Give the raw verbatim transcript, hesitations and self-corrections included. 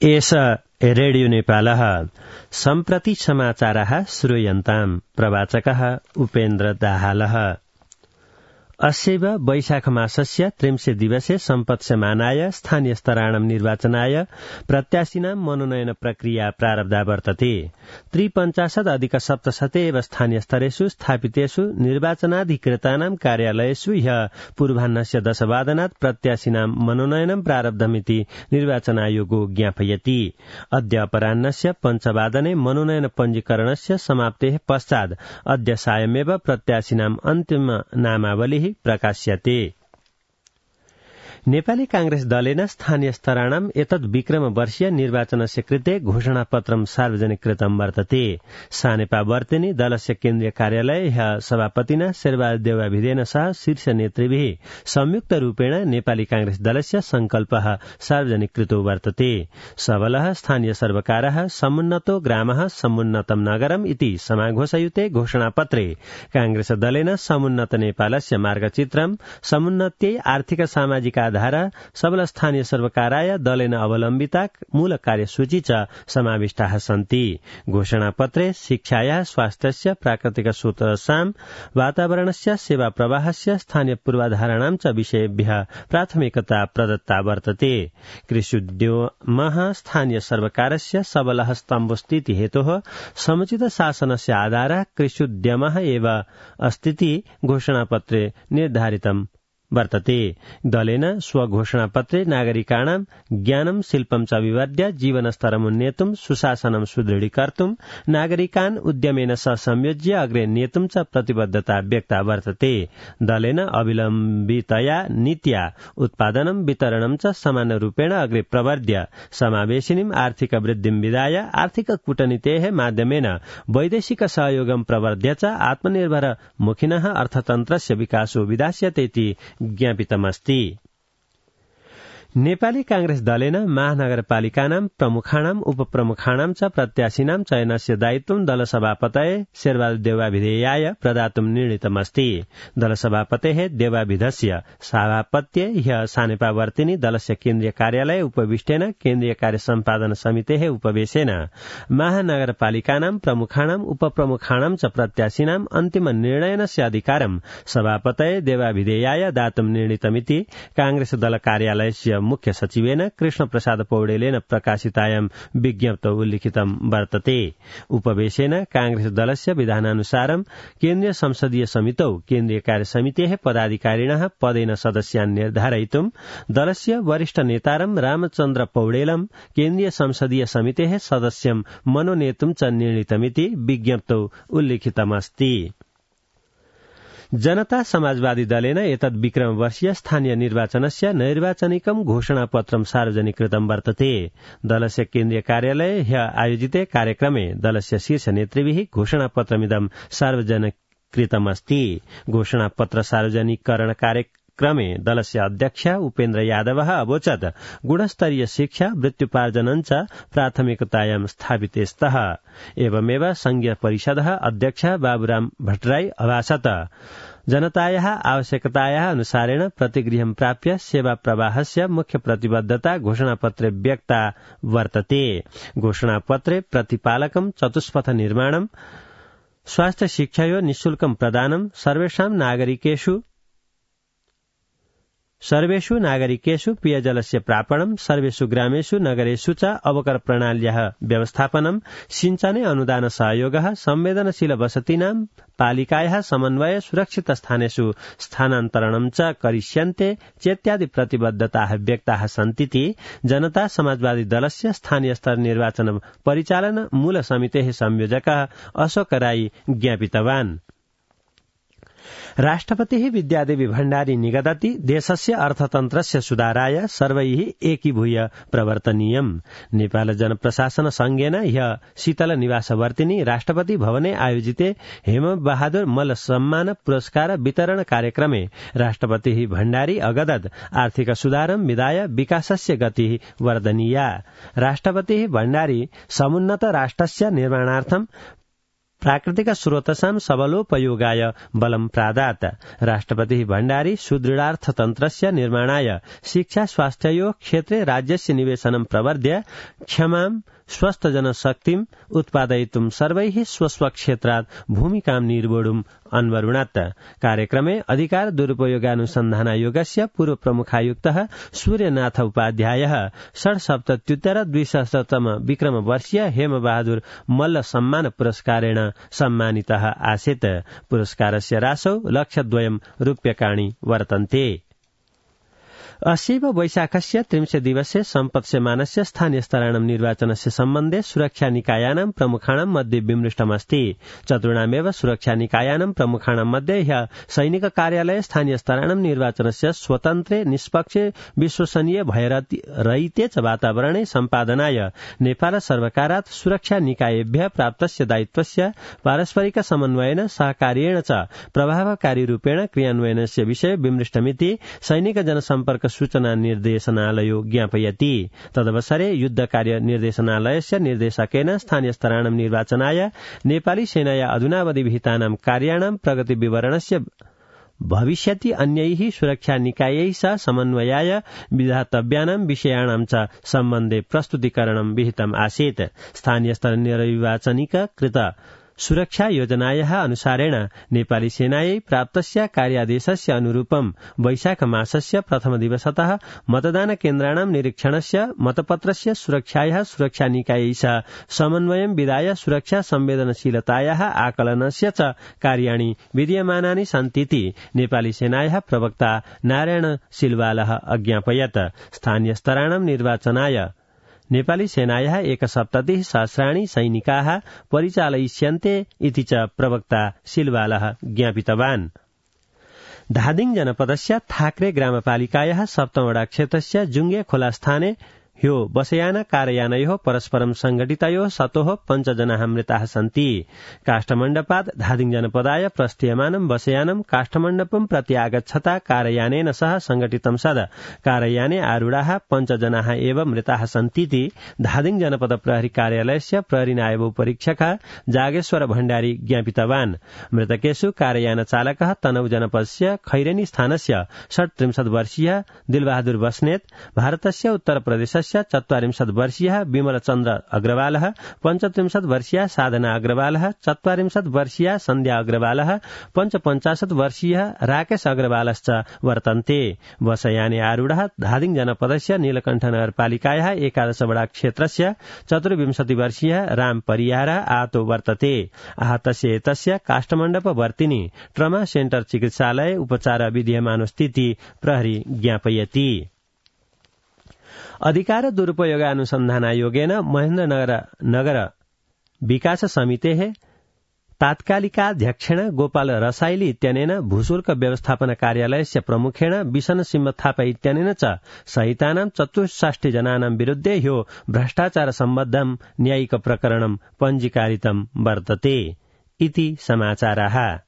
एष रेडियो नेपालः सम्प्रति समाचारः श्रूयन्ताम् प्रवाचकः उपेन्द्र दाहालः। अस्यैव वैशाख मासस्य त्रिंशे दिवसे सम्पत्स्यमानाय स्थानीय स्तराणां निर्वाचनाय प्रत्याशिनां मनोनयन प्रक्रिया प्रारब्धा वर्तते। त्रिपञ्चाशत् अधिक सप्तशते एव स्थानीय स्तरेषु स्थापितेषु निर्वाचनाधिकृतानां कार्यालयेषु ह्यः पूर्वाह्नस्य दशवादनात् प्रत्याशिनां मनोनयनं प्रारब्धमिति निर्वाचन आयोगो ज्ञापयति। अद्य अपराह्नस्य पञ्चवादने मनोनयन पञ्जीकरणस्य समाप्तेः पश्चात् अद्य सायमेव प्रत्याशिनां अन्तिम नामावलिः प्रकाश्यते। नेपाली कांग्रेस दलेन स्थानीय स्तराणाम् एतद् विक्रम वर्षीय निर्वाचनस्य कृते घोषणापत्रं सार्वजनिक कृतं वर्तते। सानेपा वर्तेनी दलस्य केन्द्रीय कार्यालय ह्यः सभापतिना शेरबहादुर देउवाभिधेन सह शीर्ष नेतृभिः संयुक्त रूपेण नेपाली कांग्रेस दलस्य संकल्पः सार्वजनिक कृतो वर्तते। सबलः स्थानीय सर्वकारः समुन्नतो ग्रामः समुन्नतं नगरम् इति समाघोषयुते घोषणापत्रे कांग्रेस दलेन समुन्नत नेपालस्य मार्गचित्रं समुन्नत्यै आर्थिक सामाजिक धारा सबल स्थानीय सर्वकाराय दलेन अवलम्बिता मूल कार्यसूची च समाविष्टाः सन्ति। घोषणापत्रे शिक्षायाः स्वास्थ्यस्य प्राकृतिक स्रोतसां वातावरणस्य सेवा प्रवाहस्य स्थानीय पूर्वाधाराणां च विषयेभ्यः प्राथमिकता प्रदत्ता वर्तते। कृष्युद्यमः स्थानीय सर्वकारस्य सबलः स्तम्भोऽस्तीति हेतोः समुचित शासनस्य आधारः कृष्युद्यमः एव अस्तीति घोषणापत्रे निर्धारितम् वर्तते। दलेन स्वघोषणापत्रे नागरिकाणां ज्ञानं शिल्पं च विवर्ध्य जीवनस्तरमुन्नेतुं सुशासनं सुदृढीकर्तुं नागरिकान् उद्यमेन सह संयोज्य अग्रे नेतुं च प्रतिबद्धता व्यक्ता वर्तते। दलेन अविलम्बितया नीत्या उत्पादनं वितरणं च समानरूपेण अग्रे प्रवर्ध्य समावेशिनीं आर्थिक वृद्धिं विधाय आर्थिक कूटनीतेः माध्यमेन वैदेशिक सहयोगं प्रवर्ध्य च आत्मनिर्भर मुखिनः अर्थतन्त्रस्य विकासो विधास्यते इति ज्ञापितमस्ति। नेपाली कांग्रेस दलेन महानगरपालिकानां प्रमुखाणां उपप्रमुखाणां च प्रत्याशिनां चयनस्य दायित्वं दलसभापतये शेरबहादुर देउवाभिधेयाय प्रदातुं निर्णीतमस्ति। दलसभापतेः देउवाभिधस्य सभापत्ये ह्यः सानेपा वर्तिनी दलस्य केन्द्रीय कार्यालय उपविष्टेन केन्द्रीय कार्य सम्पादन समितेः उपवेशेन महानगरपालिकानां प्रमुखाणां उपप्रमुखाणां च प्रत्याशिनां अन्तिम निर्णयनस्य अधिकारं सभापतये देउवाभिधेयाय दातुं निर्णीतमिति कांग्रेस दल कार्यालयस्य मुख्य सचिवेन कृष्ण प्रसाद पौडेलेन प्रकाशितायां विज्ञप्तौ उल्लिखितं वर्तते। उपवेशेन कांग्रेस दलस्य विधानानुसारं केन्द्रीय संसदीय समितौ केन्द्रीय कार्य समितेः पदाधिकारिणः पदेन सदस्यान् निर्धारयितुं दलस्य वरिष्ठ नेतारं रामचन्द्र पौडेलं केन्द्रीय संसदीय समितेः सदस्यं मनोनेतुं च निर्णीतमिति विज्ञप्तौ उल्लिखितमस्ति। जनता समाजवादी दलेन एतद् विक्रम वर्षीय स्थानीय निर्वाचनस्य नैर्वाचनिकं घोषणापत्रं सार्वजनिक कृतं वर्तते। दलस्य केन्द्रीय कार्यालये ह्यः आयोजिते कार्यक्रमे दलस्य शीर्ष नेतृभिः घोषणापत्रमिदं सार्वजनिक कृतमस्ति। घोषणापत्र सार्वजनिकरण कार्यक्रमे दलस्य अध्यक्ष उपेन्द्र यादवः अवोचत् गुणस्तरीय शिक्षा वृत्त्युपार्जनं च प्राथमिकतायां स्थापिते स्तः। एवमेव संघीय परिषदः अध्यक्ष बाबुराम भट्टराई अभाषत जनतायाः आवश्यकतायाः अनुसारेण प्रतिगृहं प्राप्य सेवा प्रवाहस्य मुख्य प्रतिबद्धता घोषणापत्रे व्यक्ता वर्तते। घोषणापत्रे प्रतिपालकं चतुष्पथ निर्माणं स्वास्थ्य शिक्षायो निःशुल्कं प्रदानं सर्वेषां नागरिकेषु सर्वेषु नागरिकेषु पेयजलस्य प्रापणं सर्वेषु ग्रामेषु नगरेषु च अवकर प्रणाल्याः व्यवस्थापनं सिंचने अनुदान सहयोगः संवेदनशील वसतीनां पालिकायाः समन्वय सुरक्षित स्थानेषु स्थानान्तरणं च करिष्यन्ते चेत्यादि प्रतिबद्धताः व्यक्ताः सन्तीति जनता समाजवादी दलस्य स्थानीय स्तर निर्वाचन परिचालन मूल समितेः संयोजकः अशोक राई ज्ञापितवान्। राष्ट्रपतिः विद्यादेवी भण्डारी निगदति देशस्य अर्थतन्त्रस्य सुधाराय सर्वैः एकीभूय प्रवर्तनीयम्। नेपाल जनप्रशासन संघेन ह्यः शीतल निवासवर्तिनी राष्ट्रपति भवने आयोजिते हेम बहादुर मल्ल सम्मान पुरस्कार वितरण कार्यक्रमे राष्ट्रपतिः भण्डारी अगदत् आर्थिक सुधारं विधाय विकासस्य गतिः वर्धनीया। राष्ट्रपतिः भण्डारी समुन्नत राष्ट्रस्य निर्माणार्थं प्राकृतिक स्रोतसां सबलोपयोगाय बलं प्रादात्। राष्ट्रपतिः भण्डारी सुदृढार्थतन्त्रस्य निर्माणाय शिक्षा स्वास्थ्ययोः क्षेत्रे राज्यस्य निवेशनं प्रवर्ध्य क्षमां स्वस्थजनशक्तिम् उत्पादयितुं सर्वैः स्वस्वक्षेत्रात् भूमिकां निर्वोढुम् अन्वरुणत्। कार्यक्रमे अधिकार दुरुपयोगानुसन्धानायोगस्य पूर्व प्रमुखायुक्तः सूर्यनाथ उपाध्यायः षड्सप्तत्युत्तर द्विसहस्रतम विक्रमवर्षीय हेमबहादुर मल्ल सम्मान पुरस्कारेण सम्मानितः आसीत्। पुरस्कारस्य राशौ लक्षद्वयं रूप्यकाणि वर्तन्ते। अस्यैव वैशाखस्य त्रिंशे दिवसे सम्पत्स्यमानस्य स्थानीयस्तराणां निर्वाचनस्य सम्बन्धे सुरक्षानिकायानां प्रमुखाणां मध्ये विमृष्टमस्ति। चतुर्णामेव सुरक्षानिकायानां प्रमुखाणां मध्ये ह्यः सैनिक कार्यालये स्थानीयस्तराणां निर्वाचनस्य स्वतन्त्रे निष्पक्षे विश्वसनीय भयरहिते च वातावरणे सम्पादनाय नेपाल सर्वकारात् सुरक्षानिकायेभ्यः प्राप्तस्य दायित्वस्य पारस्परिक समन्वयेन सहकार्येण च प्रभावकारी रूपेण क्रियान्वयनस्य विषये विमृष्टमिति सैनिक जनसम्पर्क सूचना निर्देशनालयो ज्ञापयति। तदवसरे युद्धकार्य निर्देशनालयस्य निर्देशकेन स्थानीयस्तराणां निर्वाचनाय नेपाली सेनाया अधुनावधि विहितानां कार्याणां प्रगतिविवरणस्य भविष्यति अन्यैः सुरक्षानिकायैः सह समन्वयाय विधातव्यानां विषयाणां च सम्बन्धे प्रस्तुतीकरणं विहितम् आसीत्। स्थानीयस्तर निर्वाचनिक कृत सुरक्षा योजनायाः अनुसारेण नेपाली सेनायै प्राप्तस्य कार्यादेशस्य अनुरूपं वैशाख मासस्य प्रथम दिवसतः मतदान केन्द्राणां निरीक्षणस्य मतपत्रस्य सुरक्षायाः सुरक्षानिकायै सह समन्वयं विधाय सुरक्षा संवेदनशीलतायाः आकलनस्य च कार्याणि विधीयमानानि सन्तीति नेपाली सेनायाः प्रवक्ता नारायण सिलवालः अज्ञापयत्। स्थानीयस्तराणां निर्वाचनाय नेपाली सेनायाः एकसप्ततिः सहस्राणि सैनिकाः परिचालयिष्यन्ते इति च प्रवक्ता सिलवालः ज्ञापितवान्। धादिङ जनपदस्य थाक्रे ग्रामपालिकायाः सप्तमवडा क्षेत्रस्य जुङ्गे खोला स्थाने ह्यो बसयान कारयानयोः परस्परं संघटितयोः सतोः पञ्चजनाः मृताः सन्ति। काष्ठमण्डपात् धादिङ जनपदाय प्रस्थीयमानं बसयानं काष्ठमण्डपं प्रति आगच्छता कारयानेन सह संघटितं सद कारयाने आरूढाः पञ्चजनाः एव मृताः सन्तीति धादिङ जनपद प्रहरी कार्यालयस्य प्रहरी नायब उपरीक्षकः जागेश्वर भण्डारी ज्ञापितवान्। मृतकेषु कारयान चालकः तनहु जनपदस्य खैरेनी स्थानस्य षट्त्रिंशत् वर्षीयः दिलबहादुर बस्नेत, भारतस्य उत्तर प्रदेशस्य चत्वारिंशत् वर्षीयः विमलचन्द्र अग्रवालः, पञ्चत्रिंशत् वर्षीया साधना अग्रवालः, चत्वारिंशत् वर्षीया सन्ध्या अग्रवालः, पञ्चपञ्चाशत् वर्षीयः राकेश अग्रवालश्च वर्तन्ते। बसयाने आरूढः धादिङ जनपदस्य नीलकण्ठ नगरपालिकायाः एकादशवडा क्षेत्रस्य चतुर्विंशति वर्षीयः राम परियार आहतो वर्तते। आहतस्य एतस्य काष्ठमण्डपवर्तिनि ट्रमा सेन्टर चिकित्सालये उपचार विधीयमानोस्तीति प्रहरी ज्ञापयति। अधिकार दुरुपयोगानुसन्धानायोगेन महेन्द्रनगर नगर विकास समितेः तात्कालिकाध्यक्षेण गोपाल रसाइली इत्यनेन भूशुल्क व्यवस्थापन कार्यालयस्य प्रमुखेण बिशन सिंह थापा इत्यनेन च सहितानां चतुष्षष्टि जनानां विरुद्धे ह्यो भ्रष्टाचार सम्बद्धं न्यायिक प्रकरणं पञ्जीकारितं वर्तते इति समाचाराः।